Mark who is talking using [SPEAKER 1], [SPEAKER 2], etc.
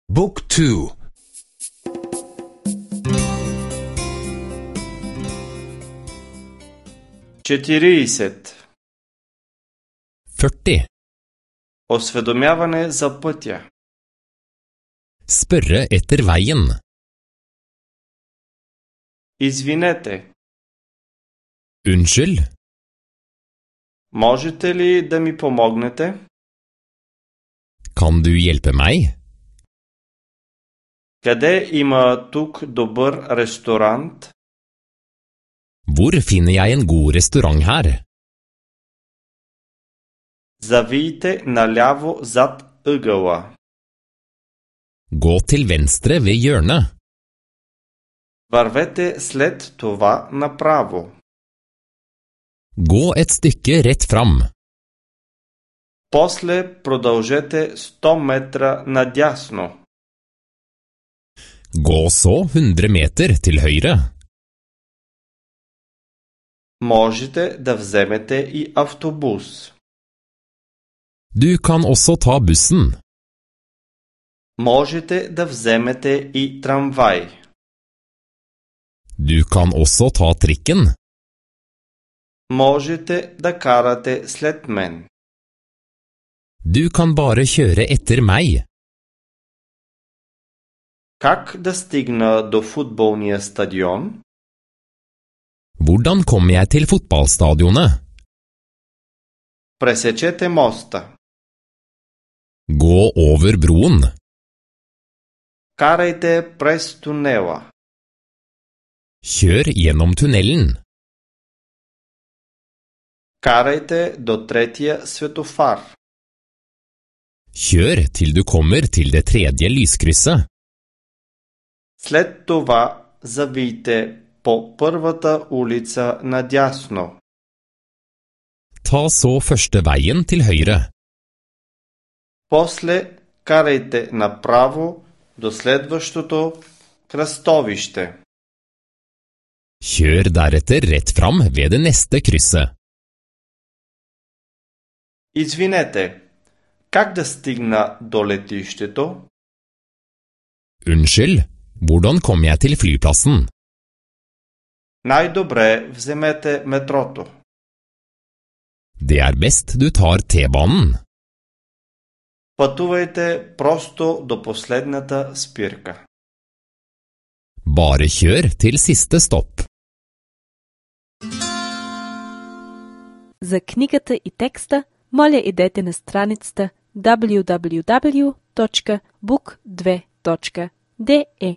[SPEAKER 1] Book 2.
[SPEAKER 2] 40.
[SPEAKER 3] 40.
[SPEAKER 2] Осведомяване за пътя.
[SPEAKER 3] Spørre etter veien.
[SPEAKER 2] Извинете,
[SPEAKER 3] Unnskyld,
[SPEAKER 2] можете ли да ми помогнете?
[SPEAKER 3] kan du hjelpe meg?
[SPEAKER 2] Къде има тук добър ресторант?
[SPEAKER 3] Hvor finner jeg en god restaurant her?
[SPEAKER 2] Завийте наляво зад ъгъла.
[SPEAKER 3] Gå til venstre ved hjørnet.
[SPEAKER 2] Вървете след това направо.
[SPEAKER 3] Gå et stykke rett fram.
[SPEAKER 2] После продължете 100 метра надясно.
[SPEAKER 3] Gå så 100 meter til høyre.
[SPEAKER 2] Можете да вземете и автобус.
[SPEAKER 3] Du kan også ta bussen.
[SPEAKER 2] Можете да вземете и трамвай.
[SPEAKER 3] Du kan også ta trikken.
[SPEAKER 2] Можете да карате след мен.
[SPEAKER 3] Du kan bare kjøre etter meg.
[SPEAKER 2] Как да стигна до футболния стадион?
[SPEAKER 3] Hvordan kommer jeg til fotballstadionet?
[SPEAKER 2] Пресечете моста.
[SPEAKER 3] Gå over broen.
[SPEAKER 2] Карайте през тунела.
[SPEAKER 3] Kjør gjennom tunnelen.
[SPEAKER 2] Карайте до третия светофар.
[SPEAKER 3] Kjør til du kommer til det tredje lyskrysset.
[SPEAKER 2] След това завийте по първата улица надясно.
[SPEAKER 3] Ta så første veien til høyre.
[SPEAKER 2] После карайте направо до следващото кръстовище.
[SPEAKER 3] Kjør deretter rett fram ved det neste krysset.
[SPEAKER 2] Извинете, как да стигна до летището?
[SPEAKER 3] Unnskyld, hvordan kom jeg til flyplassen?
[SPEAKER 2] Най-добре вземете метрото.
[SPEAKER 3] Det er best du tar T-banen.
[SPEAKER 2] Пътувайте просто до последната спирка.
[SPEAKER 3] Bare kjør til siste stopp.
[SPEAKER 4] За книгата и текста, моля идете на страницата www.book2.de.